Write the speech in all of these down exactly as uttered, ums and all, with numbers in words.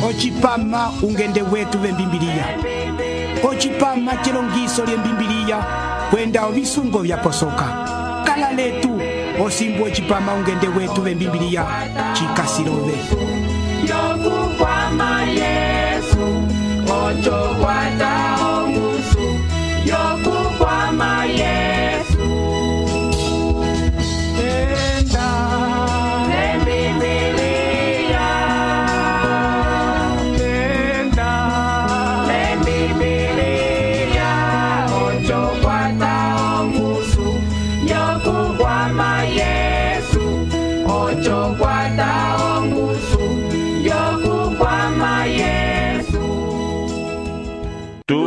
Ochipama ungende wetu vembimbilia. Ochipama chilongiso lye mbimbilia kwenda ovisungo vya posoka. Kala letu osimbu ochipama ungende wetu vembimbilia chikasilove. Yokukwama Yesu ocho kwata ongusu. Yokukwama Yesu enda lembibilia enda lembibilia ocho kwata ongusu. Yokukwama Yesu ocho kwata ongusu. Yokukwama Yesu tu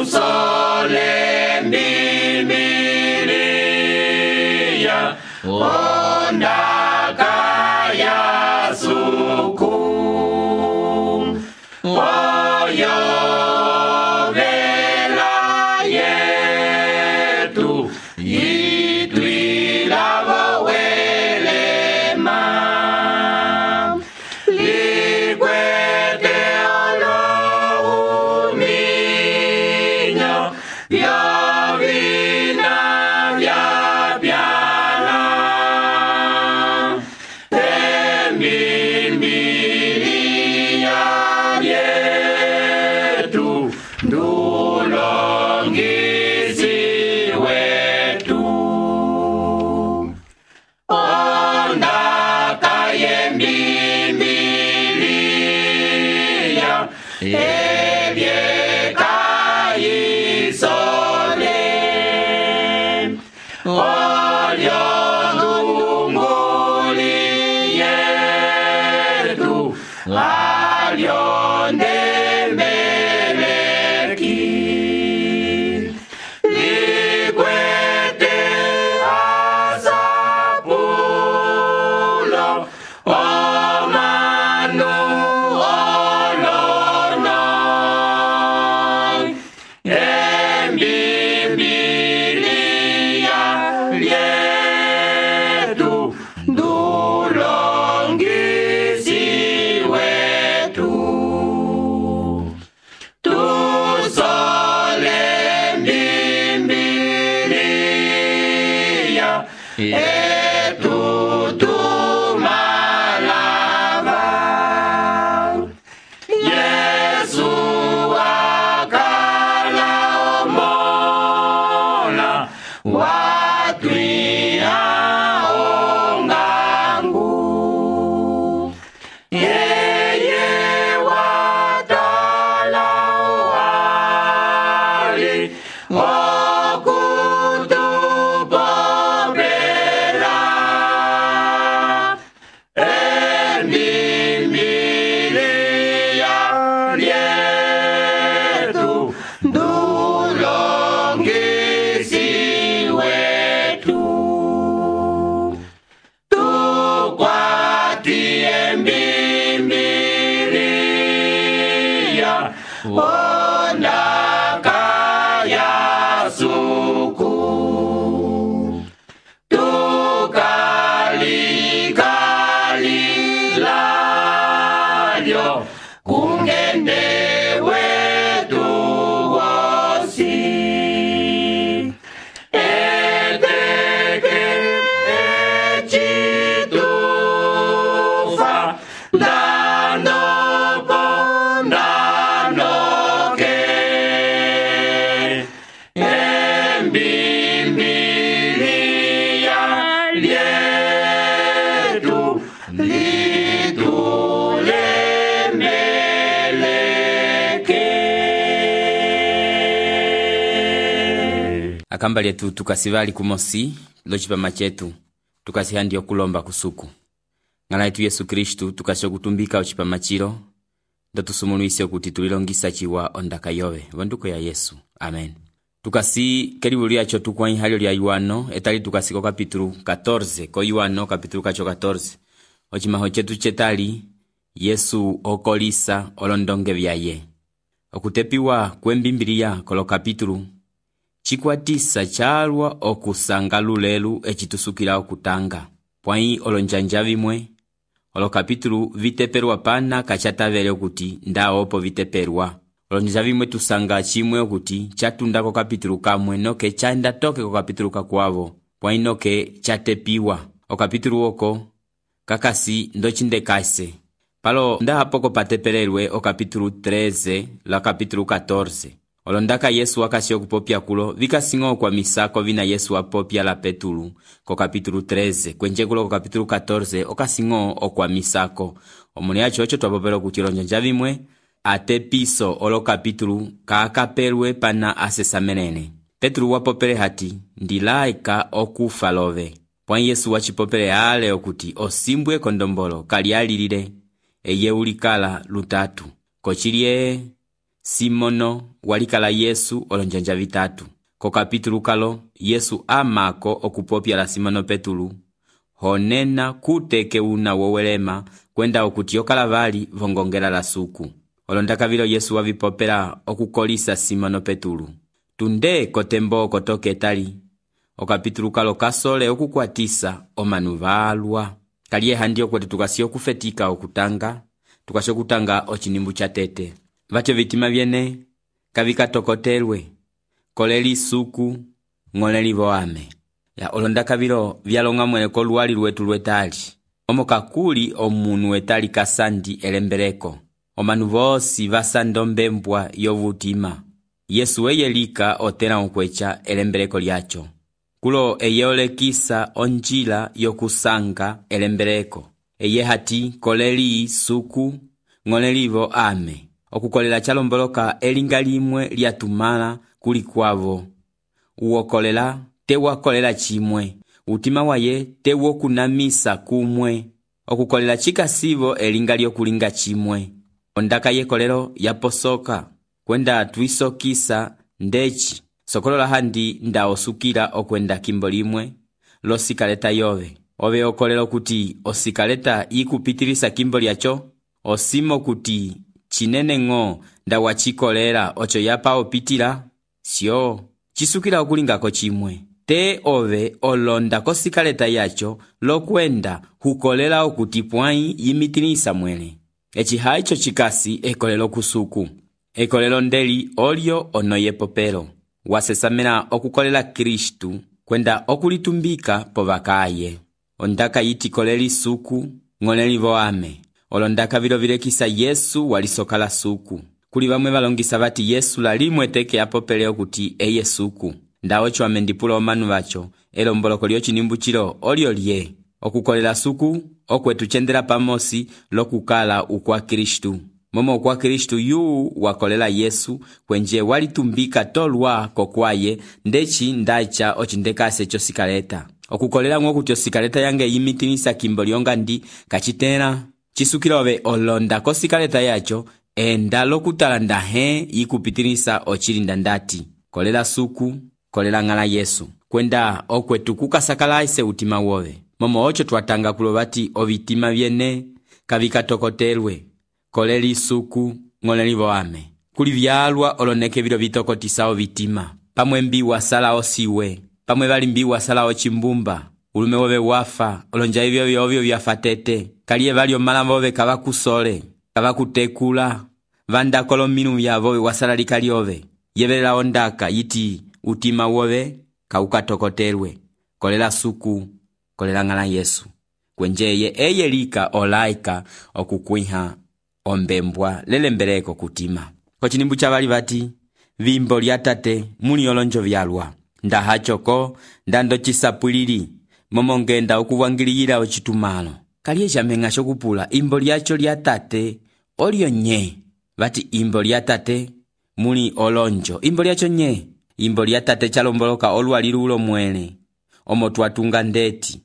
sole mbimbilia onda kaya suku oyo vela yetu itwila wawelema likwete olohuminyo vya vina vya pyala embimbilia yetu ndulongisi wetu onda kayembimbilia ebye kayisole olyo ndunguli yetu alyo ndemeleki likwete asapulo omanu olono embimbilia lyetu ndulongisi wetu tusole mbimbilia etu tumalava Yesu wakala omola watwia ongangu yeye watala wali okutupopela embimbilia lyetu ndulongisi wetu tukwatie mbimbilia onda kaya suku tukalikalilalyo kungende wetu wosi eteke echitufa ndanopo ndanoke embimbilia lyetu litulemeleke akamba lyetu tukasivali kumosi lochipama chetu tukasihandi okulomba kusuku ng'ala yetu Yesu Kristu tukasho kutumbika ochipama chilo ndatusumuluise kuti tulilongisa chiwa ondaka yove vonduko ya Yesu. Amen. Tukasi karibu lyacho tukwa ihalyo lya Yohano etali tukasiko kapitulu catorze ko Yohano kapitulu kacho catorze ochimaho chetu chetali Yesu okolisa olondonge vyaye okutepiwa kwembimbilia kolo kapitulu chikwatisa chalwa okusanga lulelu echitusukila okutanga pwai olonjanja vimwe olo kapitulu viteperwa pana kachatavele okuti nda opo viteperwa. Olonja vimwe tusanga chimwe okuti chatunda ko kapitulu kamwe noke chanda toke ko kapitulu kakwavo pwa inoke chatepiwa. O kapitulu oko kakasi ndochindekase. Palo nda hapoko patepelelwe o kapitulu treze la kapitulu catorze. Olondaka Yesu wakasi okupopya kulo vikasingo kwa misako vina Yesu wapopya la Petulu ko kapitulu treze kwenje kulo ko kapitulu catorze okasingo okwa misako. Omuli acho ocho twapopelo kuti olonja vimwe ate piso olo kapitulu kaakapelwe pana asesamenene. Petulu wapopele hati ndilaika okufa love. Pwa Yesu wachipopele ale okuti osimbwe kondombolo kali alilile eye ulikala lutatu. Kochilie Simono walikala Yesu olonjanja vitatu. Ko kapitulu kalo Yesu amako okupopya la Simono Petulu honena kuteke una wowelema kwenda okuti yokala vali vongongela la suku. Olondaka vilo Yesu wavipopela okukolisa Simono Petulu. Tunde kotembo kotoke tali. O kapitulu kalo kasole okukwatisa omanu valwa. Kaliye handi okwete tukasi okufetika okutanga. Tukasi okutanga ochinimbu cha tete. Vatyo vitima vyene kavika tokotelwe. Koleli suku ngoleli voame. Ya olondaka vilo vyalonga mwene koluwali lwetu lwetali. Omo kakuli omunu wetali kasandi elembereko. Omanu vosi vasandombe mbwa yovutima. Yesu eyelika otela okwecha elembereko lyacho. Kulo eyeolekisa onjila yokusanga elembereko. Eye hati koleli suku ngolelivo ame. Okukolela chalomboloka elinga limwe lyatumala kuli kwavo. Uokolela tewakolela chimwe. Utima waye tewokunamisa kumwe. Okukolela chikasivo elinga lyokulinga chimwe. Ondaka yekolelo yaposoka kwenda tuisokisa ndechi. Sokolola handi nda osukila okwenda kimbo limwe lo sikaleta yove. Ove okolelo kuti osikaleta ikupitilisa kimbo lyacho. Osimo kuti chinene ngo nda wachikolera ocho yapa opitila. Sio chisukila okulingako chimwe. Te ove olonda ko sikaleta yacho lo kwenda hukolela okuti pwai yimitilisa mwele. Echi haicho chikasi ekolelo kusuku. Ekolelo ndeli olio onoye popelo. Wasesamena okukolela Kristu kwenda okulitumbika povakaye. Ondaka yiti koleli suku ngoleli voame. Olondaka vilo vilekisa Yesu walisokala suku. Kuli vamwe valongisa vati Yesu lalimwe teke apopele okuti eye suku. Nda ocho amendipula omanu vacho elomboloko lyochinimbu chilo olio lye. Okukolela suku okwetu chendela pamosi lokukala ukwa Kristu. Momo ukwa Kristu yu wakolela Yesu kwenje walitumbika tolwa kokwaye ndechi ndacha ochindekase chosikaleta. Okukolela ngokuti osikaleta yange yimitinisa kimbo lyonga ndi kachitela. Chisukilove olonda kosikaleta yacho enda lokutala ndahe yikupitinisa ochilinda ndati. Kolela suku, kolela ngala Yesu. Kwenda okwetu kukasakalaise utima wove. Momo ocho twatanga kulovati ovitima vyene kavika tokotelwe. Koleli suku ngoleli voame. Kuli vyalwa oloneke vilo vitokotisa ovitima. Pamwe mbi wasala osiwe. Pamwe vali mbi wasala ochimbumba. Ulume wove wafa. Olonja hivyo vyovyo vyafatete. Kaliye vali omala vove kavakusole. Kavakutekula. Vanda kolo minu vyavove wasala likali ove. Yevelela ondaka yiti utima wove kaukatokotelwe. Kolela suku. Kolela ngala Yesu. Kwenjeye eye lika olaika okukwiha ombembwa lelembereko kutima. Kochinimbu chavali vati vimbo lyatate muni olonjo vyalwa. Nda hachoko ndando chisapulili momongenda okuwangiliyila ochitumalo. Kaliye jamenga shokupula imbo lyacho lyatate olio nye. Vati imbo lyatate muni olonjo. Imbo lyacho nye. Imbo lyatate chalomboloka olwalilu ulo mwele. Omo twatunga ndeti.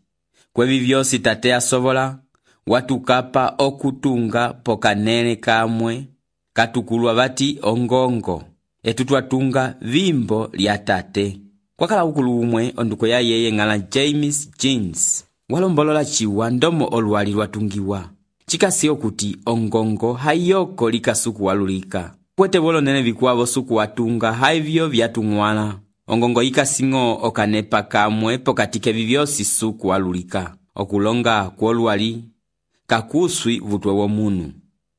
Kwevi vyosi tate asovola. Watukapa okutunga pokanene kamwe. Katukulwa vati ongongo. Etu twatunga vimbo lyatate. Kwakala ukulu umwe onduko ya yeye ngala James Jeans. Walombolola chiwa ndomo olwali lwatungiwa. Chikasi okuti ongongo hayoko lika suku walulika. Kwete volo nene vikuavo suku watunga haivyo vyatungwala. Ongongo ika singo okanepa kamwe pokatike vivyosi suku walulika. Okulonga kuolwali kakuswi vutwe womunu.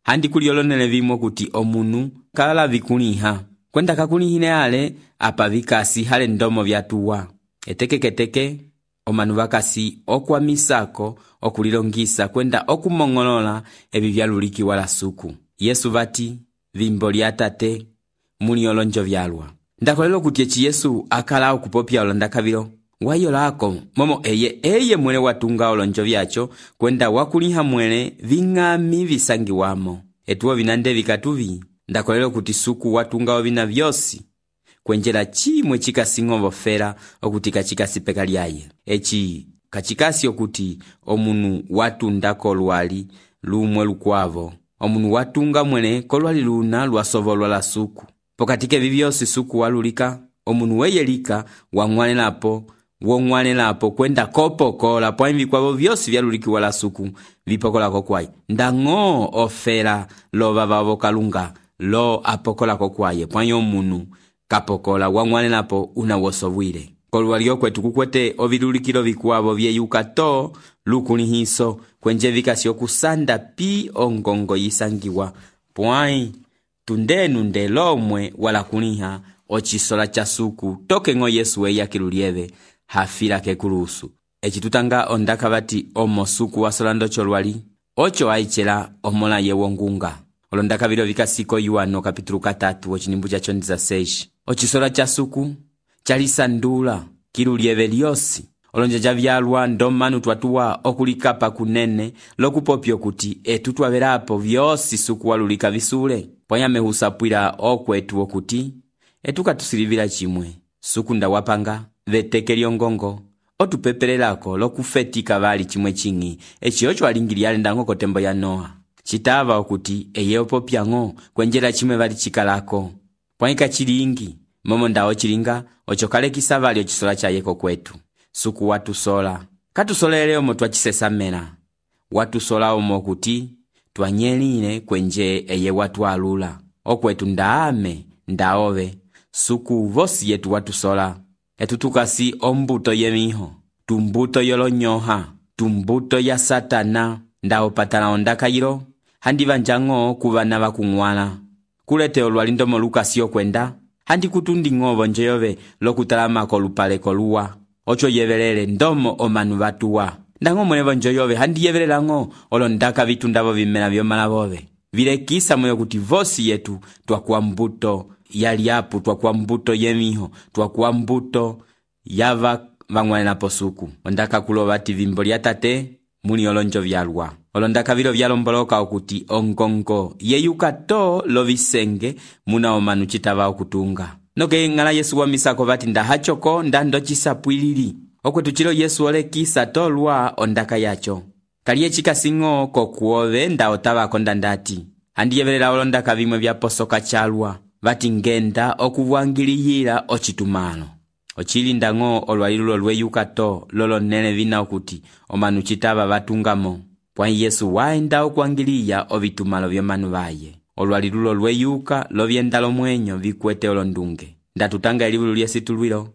Handi kuliolonele vimo kuti omunu kalala vikuliha. Kwenda kakulihine ale apa vikasi hale ndomo vyatuwa. Etekeketeke omanu vakasi okwamisako okulilongisa kwenda okumongolola ebi vyaluliki wala suku. Yesu vati vimbo lya tate muli olonjo vyalwa. Ndakolelo kuti echi Yesu akala okupopya olondakavilo wayolako momo eye eye mwele watunga olonjo vyacho kwenda wakuliha mwele ving'ami visangiwamo. Etuwo vinande vikatuvi ndakolelo kuti suku watunga ovina vyosi kwenjela chimwe chikasingovo fera okuti kachikasi peka lyaye. Echi kachikasi okuti omunu watunda kolwali lumwe lukwavo. Omunu watunga mwele kolwali luna lwasovolwa la suku. Pokatike vivyosi suku walulika, omunu weyelika wang'wanelapo, wong'wanelapo kwenda kopokola poimvi kwavo vyosi vyaluliki wala suku vipokola kokwai. Ndango ofera lo vavavo kalunga lo apokola kokwaye poinyo omunu kapokola wang'wanelapo unawosovwile. Kolwalio kwetu kukwete ovilulikilo vikuavo vyeyuka to lukulihiso kwenje vikasi okusanda pi ongongo yisangiwa poai tundenu ndelomwe wala kuliha ochisola cha suku toke ngo Yesu weya kilulieve hafila kekulusu. Echi tutanga ondaka vati omo suku wasolando cholwali ocho aichela omola yewongunga. Olondaka vilo vikasiko Yuano kapitulu katatu ochinimbu cha chondiza seishi. Ochisola cha suku chalisandula kilulieve lyosi. Olonja javyalwa ndomanu twatuwa okulikapa kunene lokupopyo kuti etutwa verapo vyosi suku walulika visule. Poyame husapwila okwetu okuti etuka tusilivila chimwe. Suku nda wapanga veteke lyongongo otupepelelako lokufetika vali chimwe chingi echi ocho alingiliale ndango kotembo ya Noa. Chitava okuti eyeopo piango kwenjela chimwe vali chikalako. Poika chilingi momo ndao chilinga ocho kale kisavali ochisola cha yeko kwetu. Suku watu sola katusolele omo twachisesamela watu sola omo kuti twanyeline kwenje eye watu alula okwetu ndaame ndaove suku vosi yetu watu sola etutukasi ombuto yemiho tumbuto yolonyoha tumbuto ya satana ndao patala ondaka yilo handi vanjango kuvana vakung'wala kulete olwalindomo lukasi okwenda handi kutundi ng'ovo njeyove lokutalama kolupale koluwa ocho yevelele ndomo omanu vatuwa. Ndango mwenevo njoyove handi yevelela ngo olondaka vitundavo vimela vyomala vove. Vilekisa mweyo kuti vosi yetu twakuwa mbuto yaliapu, twakuwa mbuto yemiho, twakuwa mbuto yava vang'wanela posuku. Ondaka kulovati vimbo lya tate muli olonjo vyalwa. Olondaka vilo vyalomboloka okuti ongongo yeyuka to lovisenge muna omanu chitava okutunga. Noke ngala Yesu wa misako vati ndahachoko ndando chisapwilili. Okwetu chilo Yesu ole kisa tolwa ondaka yacho. Kaliye chikasingo kokuove nda otava kondandati. Handi yevelela olondaka vimwe vya posoka chalwa. Vati ngenda okuvwangiliyila ochitumano. Ochili ndango olwalilulo lweyuka to lolo nene vina okuti omanu chitava vatungamo. Pwa Yesu waenda okuangiliya ovitumalo vyomanu vaye. Olwalilulo lweyuka lovyenda lomwenyo vikwete olondunge. Ndatutanga elivulu lyesitulwilo.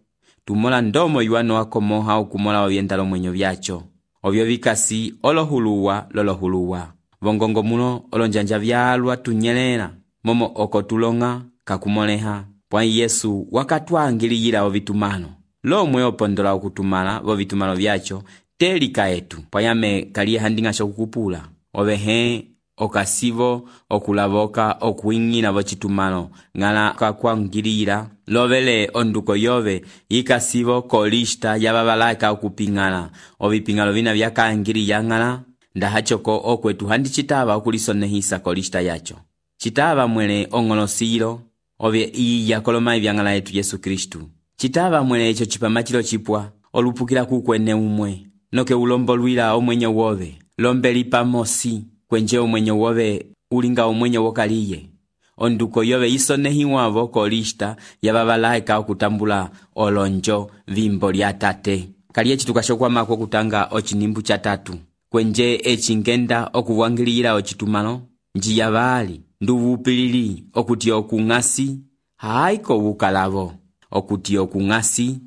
Tumola ndomo Yuano wakomoha okumola ovyenda lomwenyo vyacho. Ovyo vikasi olohuluwa lolohuluwa. Vongongo muno olonjanja vyalwa tunyelela. Momo okotulonga kakumoleha. Pwa Yesu wakatuangiliyila ovitumano. Lomwe opondola okutumala vovitumalo vyacho telika etu. Pwa yame kaliye handingasho kukupula. Ovehe okasivo okulavoka okuingina vochitumano ngala kakwangilira lovele onduko yove ikasivo kolista yababalaka okupingala ovipingalo vina vyakaangiri yangala ndahachoko okwetu handi chitava okulisonehisa kolista yacho chitava mwele ongolosilo ovye iya kolomai vyangala yetu Yesu Kristu chitava mwele echo chipamachilo chipwa olupukila kukwene umwe noke ulombo lwila omwenye wove lombeli pamosi kwenje omwenye wove ulinga omwenye wokaliye. Onduko yove isonehiwavo kolista yababalaika okutambula olonjo vimbo lya tate. Kaliye chitukashokwa mako kutanga ochinimbu cha tatu. Kwenje echingenda okuvwangilira ochitumano njiya vali nduvupilili okuti okungasi haiko wukalavo. Okuti okungasi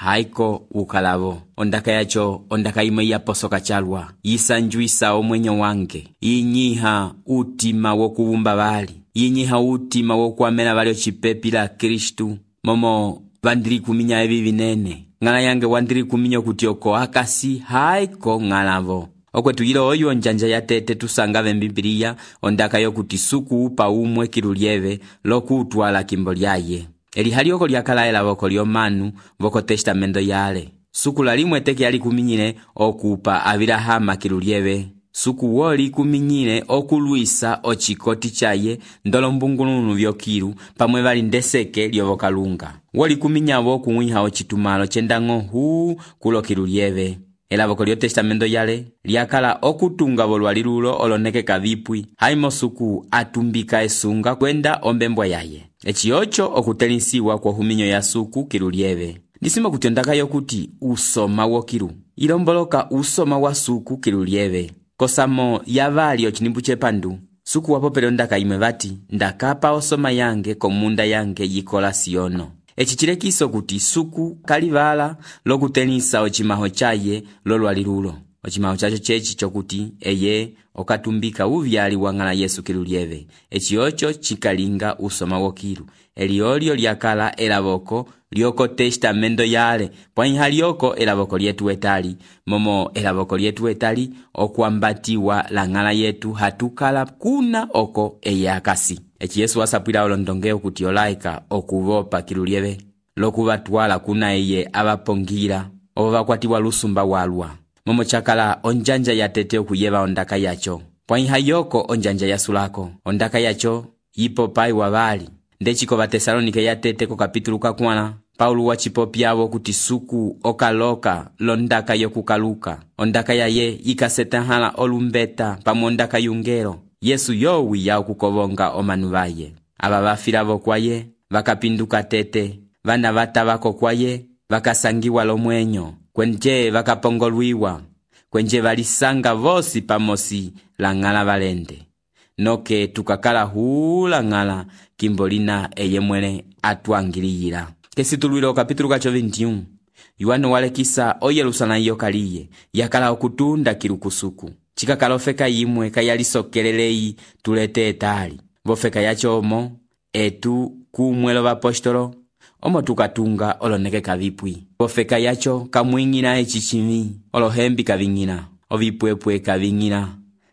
haiko ukalavo. Ondaka yacho ondaka imwe yaposoka chalwa, yisanjwisa omwenyo wange, yinyiha utima wokuvumba bali, yinyiha utima wokuamela bali ochipepila Kristu, momo vandiri kuminya evi vinene. Ngala yange wandiri kuminya kuti oko akasi haiko ngalavo. Okwetu yilo oyo onjanja ya tete tusanga vembibiliya ondaka yokuti suku upa umwe kilulieve lokutwala kimbo lyaye. Eli halioko lyakala elavoko lyomanu voko testamento yale. Suku lalimwe teke yali kuminyile okupa Abilahama kilulieve. Suku woli kuminyile okuluisa ochikoti chaye ndolo mbungulunu vyokilu pamwe vali ndeseke lyovokalunga. Woli kuminyavo kuwiha ochitumalo chendango huu kulo kilulieve. Elavoko lyo testamento yale lyakala okutunga volwali lulo oloneke kavipwi haimo suku atumbika esunga kwenda ombembwa yaye. Echi ocho okutelinsiwa kwa huminyo ya suku kilulieve. Nisima kuti ondaka yokuti usoma wokilu ilomboloka usoma wa suku kilulieve. Kosamo yavali ochinimbu chepandu suku wapopele ondaka imwe vati ndakapa osoma yange komunda yange yikola siono. Echi chilekiso kuti suku kalivala lokutenisa ochimaho chaye lolwali lulo. Ochimaho chacho chechi chokuti eye okatumbika uvyali wangala Yesu kilulieve. Echi ocho chikalinga usoma wokilu. Eliolio lyakala elavoko lyoko testamento yale. Pwanyi halioko elavoko lyetu etali. Momo elavoko lyetu etali okuambatiwa langala yetu hatukala kuna oko eye akasi. Echi Yesu wasapwila olondongeo kuti olaika okuvopa kilulieve lokuvatwala kuna eye abapongira ovakwatiwa lusumba walwa. Momo chakala onjanja ya tete okuyeva ondaka yacho. Pwanyi hayoko onjanja ya sulako. Ondaka yacho yipo pai wavali. Ndechiko va Tesalonike ya tete ko kapitulu kakwana. Paulu wachipopyavo kuti suku okaloka londaka yokukaluka. Ondaka yaye ikasetanhala olumbeta pamwe ondaka yungero. Yesu yowi ya okukovonga omanu vaye. Aba vafilavo kwaye, vakapinduka tete, vana vatavako kwaye, vakasangiwa lomwenyo, kwenje vakapongolwiwa, kwenje valisanga vosi pamosi langala valende. Noke tukakala huu langala kimbolina eye mwene atuangiliyila. Kesitulwilo kapitulu kacho vintiun. Yuano walekisa o Yerusalemu yokaliye, yakala okutunda kilukusuku. Chikakala ofeka yimwe kayalisokelelei tulete etali. Vofeka yacho omo, etu kumwelo vapostolo, omo tukatunga oloneke kavipwi. Vofeka yacho kamwingina echichimi, olohembi kavingina, ovipwepwe kavingina,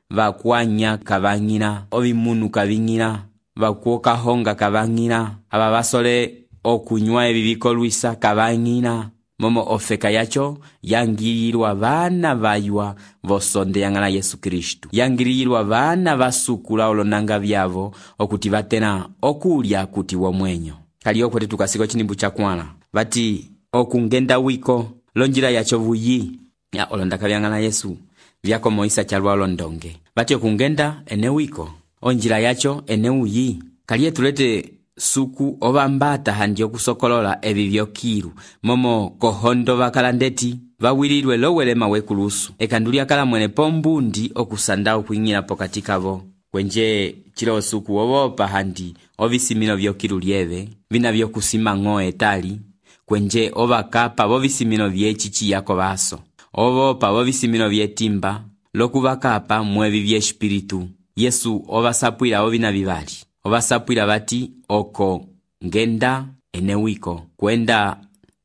vakwanya kavangina, ovimunu kavingina, vakuoka honga kavangina, ababasole okunywa ebibiko luisa kavangina. Momo ofeka yacho yangililwa vana vaywa vosonde yangala Yesu Kristu. Yangililwa vana vasukula olonanga vyavo okuti vatena okulya kuti womwenyo. Kali okwete tukasiko chinimbu chakwala. Vati okungenda wiko lonjila yacho vuyi ya olondaka vyangala Yesu vyako Moisa chalwa olondonge. Vati okungenda ene wiko onjila yacho ene uyi. Kali etulete suku ovambata handi okusokolola evi vyokilu momo kohondo vakalandeti vawililwe lowelema wekulusu ekanduli akala mwene pombundi okusanda okuingila pokati kavo. Kwenje chilo suku ovopa handi ovisimilo vyokilu lieve vina vyokusima ng'o etali. Kwenje ovakapa vovisimilo vyechichi yako vaso ovopa vovisimilo vyetimba lokuvakapa mwevi vyeshpiritu. Yesu ovasapwila ovina vivali. Ovasapwila vati oko ngenda ene wiko kwenda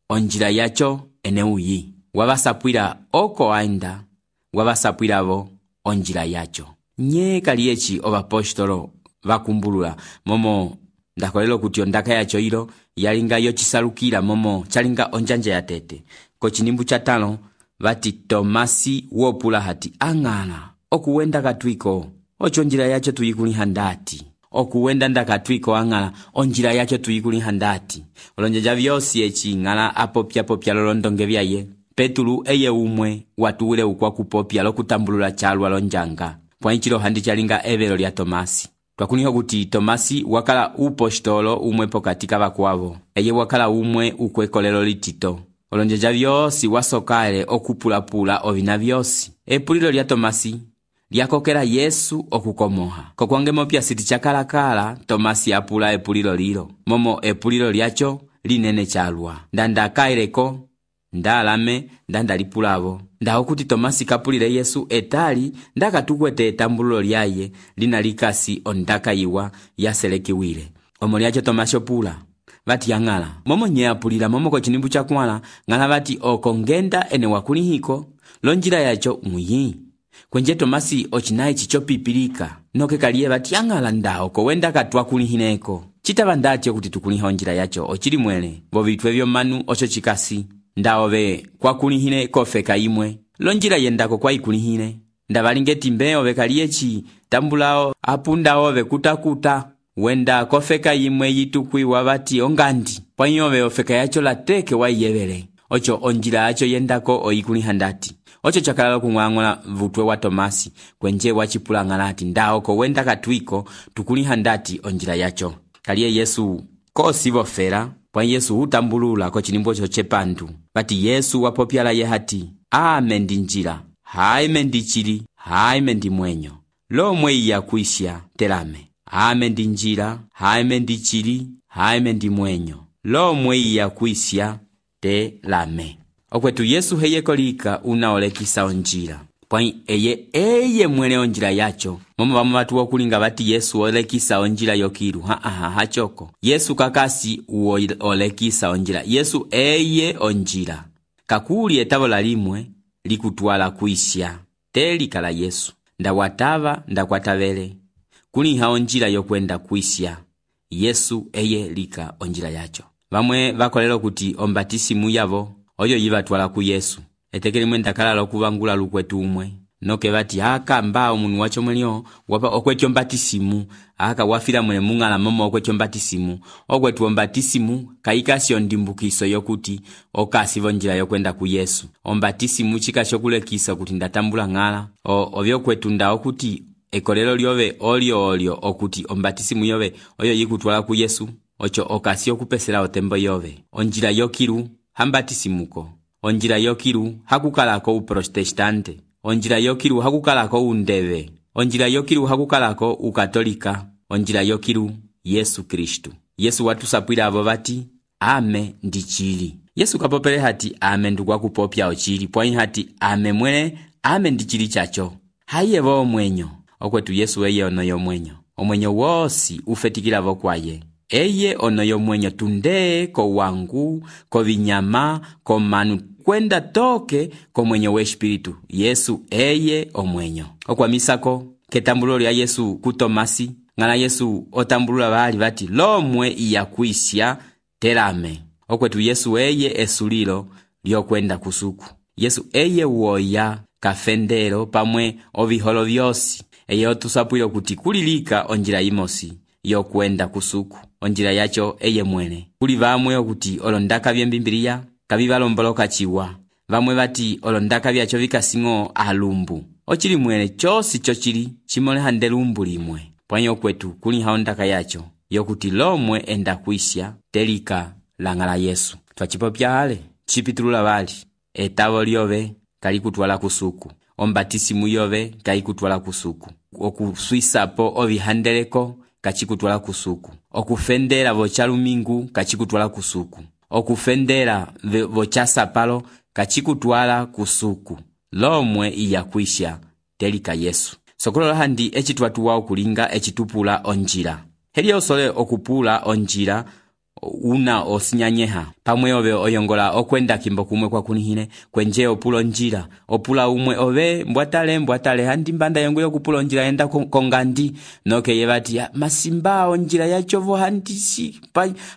onjila yacho ene uyi. Wavasapwila oko aenda wavasapwilavo onjila yacho. Nye kaliechi ovapostolo vakumbulula momo ndakolelo kuti ondaka yacho ilo yalinga yochisalukila momo chalinga onjanja ya tete. Kochinimbu chatalo vati Tomasi wopula hati angala okuwenda katwiko ocho onjila yacho tuyikuliha ndati. Okuwenda ndakatwiko angala onjila yacho tuyikuliha ndati. Olonjeja vyosi echi ngala apopya popya lolondonge vyaye. Petulu eye umwe watuule ukwa kupopya lokutambulula chalwa lonjanga. Pwanyichilo handi chalinga evelo lya Tomasi. Twakuniho kuti Tomasi wakala upostolo umwe pokatika vakwavo. Eye wakala umwe ukwekolelo litito. Olonjeja vyosi wasokale okupulapula ovina vyosi. Epulilo lya Tomasi lyakokela Yesu okukomoha. Kokwange mopya siti chakalakala Tomasi apula epulilo lilo. Momo epulilo lyacho linene chalwa. Ndanda kaileko ndalame ndandalipulavo ndaho kuti tomasi kapulile yesu etali ndakatukwete etambululo lyaye lina likasi ondaka iwa yaselekiwile. Omo lyacho tomasi opula vati yang'ala momo nye apulila momo ko chinimbu chakwala ng'ala vati oko ngenda ene wakulihiko lonjila yacho muyi kwenje tomasi ochinayi chichopipilika noke kaliye vati yang'ala ndaho ko wenda katwa kulihineko chitava ndatyo kuti tukuliha onjila yacho ochili mwele vovitwe vyomanu ocho chikasi ndaove kwa kulihine kofeka imwe lonjila yendako kwa ikulihine ndavalingeti mbe ove kaliyechi tambulao apunda ove kutakuta wenda kofeka imwe yitukwiwa vati ongandi pwanyi ove ofeka yacho lateke waiyevele ocho onjila yacho yendako oikuliha ndati ocho chakalalo kung'ang'ola vutwe wa tomasi kwenje wachipula ng'alati ndaoko wenda katwiko tukuliha ndati onjila yacho kaliye yesu kosivo fera pwa yesu utambulula ko chinimbo cho chepandu vati yesu wapopyala ye hati ame ndi njira haime ndi chili haime ndi mwenyo lomwe iya kuisya telame ame ndi njira haime ndi chili haime ndi mwenyo lomwe iya kuisya telame. Okwetu yesu heyeko lika unaolekisa onjila pwai eye eye mwele onjila yacho momo vamo vatu wokulinga vati yesu olekisa onjila yokiru ha ha hachoko yesu kakasi uolekisa onjila yesu eye onjila kakuli etavo lalimwe likutwala kuisya telikala yesu ndawatava ndakwatavele kuliha onjila yokwenda kuisya yesu eye lika onjila yacho. Vamwe vakolelo kuti ombatisimu yavo oyo yivatwala ku yesu etekeli mwenda kalala okuvangula lukwetu umwe noke vati aka mba omunu wacho mwelio wapa okwetyo mbatisimu aka wafila mwele mungala momo okwetyo mbatisimu okwetu ombatisimu kaikasyo ndimbukiso yokuti okasivo njila yokwenda ku yesu ombatisimu chikasyo kulekisa kuti ndatambula ng'ala ovyo kwetu ndao kuti ekolelo lyove olio olio okuti ombatisimu yove oyo yikutwala ku yesu ocho okasyo kupesela otembo yove onjila yokiru hambatisimuko onjila yokiru hakukalako uprotestante onjila yokiru hakukalako undeve onjila yokiru hakukalako ukatolika onjila yokiru Yesu Kristu. Yesu watusapwila avo vati ame ndi chili yesu kapopele hati ame ndukwa kupopya ochili pwanyi hati ame mwele ame ndi chili chacho hayevo omwenyo okwetu yesu eye ono yomwenyo omwenyo wosi ufetikila vo kwaye eye ono yomwenyo tunde ko wangu ko vinyama ko manu kwenda toke ko mwenyo we espiritu yesu eye omwenyo okwamisako ketambulo lya yesu ku Tomasi ngala yesu otambulula bali bati lomwe iya kuisya telame okwetu yesu eye esulilo lyokwenda kusuku yesu eye woya kafendero pamwe oviholo vyosi eye otusapwilo kuti kulilika onjila imosi yokwenda kusuku onjila yacho eye mwene kuli vamwe okuti olondaka byembimbiriya kabivalomboloka chiwa vamwe bati olondaka byacho vikasingo alumbu ochili mwene chosi chochili chimoleha ndelumbu limwe pwanyo kwetu kuli haondaka yacho yokuti lomwe enda kuisya telika langala yesu twachipopya ale chipitulula bali etavo lyove kali kutwala kusuku ombatisimu yove kali kutwala kusuku okuswisapo ovihandeleko kachikutwala kusuku okufendera vochalumingu kachikutwala kusuku okufendera vochasapalo kachikutwala kusuku lomwe iya kuisya telika yesu sokolola handi echitwatuwa okulinga echitupula onjila heli osole okupula onjila una osinyanyeha pamwe ove oyongola okwenda kimbo kumwe kwa kunihine kwenje opula onjila opula umwe ove mbwatale mbwatale handi mbanda yongo yokupula onjila yenda kongandi noke yevati masimba onjila yachovo handisi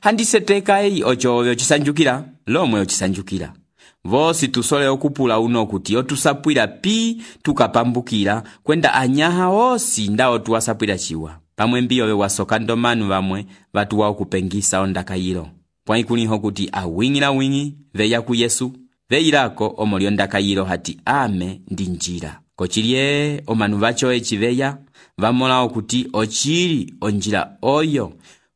handiseteka ei ocho ove ochisanjukira lomwe ochisanjukira vosi tusole okupula uno kuti otusapwira pi tukapambukira kwenda anyaha osi ndao tuwasapwira chiwa pamwe mbiyo we wasokando manu vamwe vatuwa okupengisa ondaka yilo pwanyi kuniho kuti awingila wingi veya ku yesu veyilako omolyo ndaka yilo hati ame ndi njira kochilye omanu vacho echiveya vamola okuti ochili onjila oyo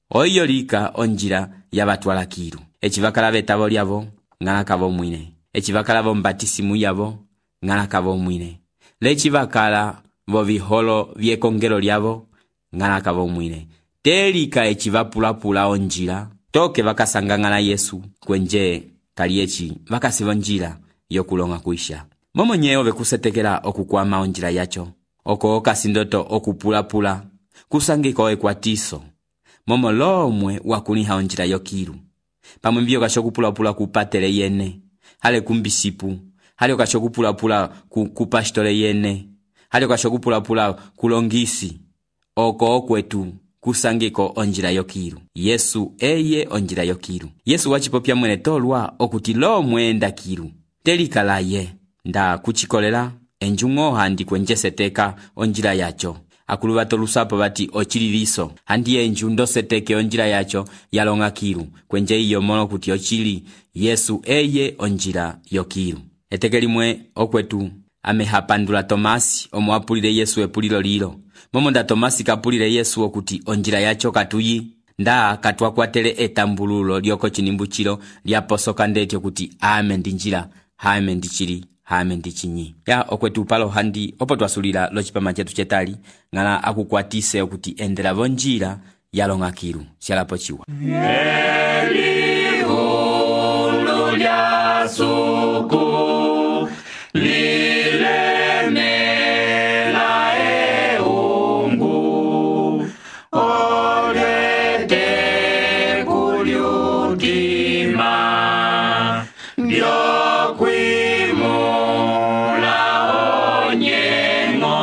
oyo lika onjila yavatwala kilu echivakala vetavo lyavo ng'alakavo mwine echivakala vo mbatisimu yavo ng'alakavo mwine lechivakala vo viholo vyekongelo lyavo ng'alakavo mwine telika echivapulapula onjila toke vakasanga ng'ala yesu kwenje kaliyechi vakasiva njira yokulonga kuisha. Momo nyeyo vekusetekela okukwama onjira yacho, oko kasindoto okupulapula kusangiko ekwatiso, momo lomwe wakuliha onjira yokilu. Pamwe mbio kashokupulapula kupatele yene, hale kumbisipu, hale kashokupulapula ku, kupashtole yene, hale kashokupulapula kulongisi, oko okwetu kusangiko onjira yokilu. Yesu eye onjira yokilu. Yesu wachipopya mwene tolwa okuti lo mwenda kilu telikalaye nda kuchikolela enjungo handi kwenjeseteka onjira yacho. Akulu batolusapo bati ochililiso handi enju ndoseteke onjira yacho yalonga kilu kwenje iyo mono kuti ochili Yesu eye onjira yokilu. Etekelimwe okwetu amehapandula Tomasi omwapulile Yesu epulilo lilo. Momo nda Tomasi kapulile Yesu okuti onjira yacho katuyi nda katwakwatele etambululo lyoko chinimbuchilo lyaposoka ndeti okuti ame ndinjira, hame ndichili, hame ndichinyi. Ya okwetu palo handi opo twasulila lochipama chetu chetali ngala akukwatise okuti endela vonjira yalonga kilu sialapo chiwa. Elihulu lya suku lilemela eungu olete kulyutima ndyokwimula onyengo.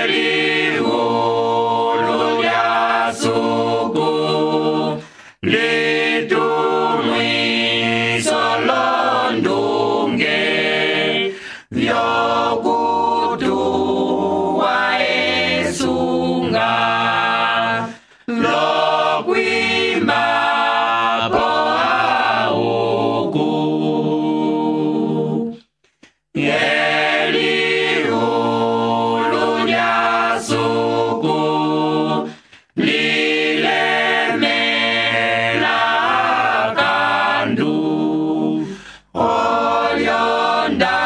Elihulu lya suku litumwiso londunge vyokutuwa esunga lokwima po auku. Elihulu lya suku lilemela kandu olyonda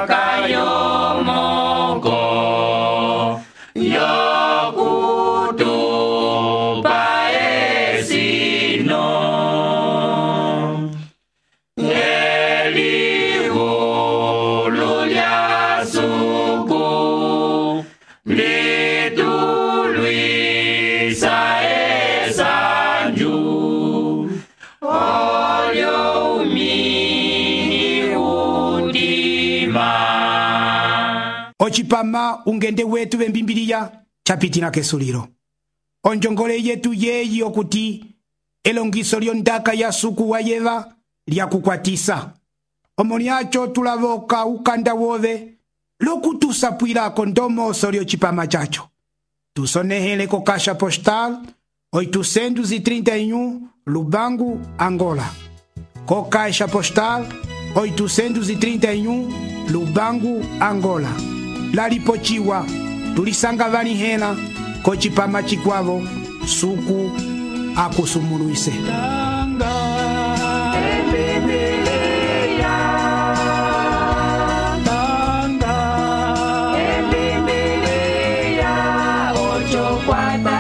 kayomoko yokutupa esino. Elihulu lya suku litulwisa esanju olyo umini udima. Ochipama ungende wetu bembimbiliya chapitina kesuliro. Onjongole yetu yeyi okuti elongiso lyondaka ya suku wa yeva lyakukwatisa. Omoniacho tulavoka ukanda wove lokutusapwilako ndomoso lyochipama chacho. Tusonehele ko Caixa Postal oitocentos e trinta e um Lubango, Angola. Co Caixa Postal oitocentos e trinta e um Lubango, Angola. Lalipochiwa tulisanga vanihela ko chipama chikwavo suku akusumuluise. Cuatro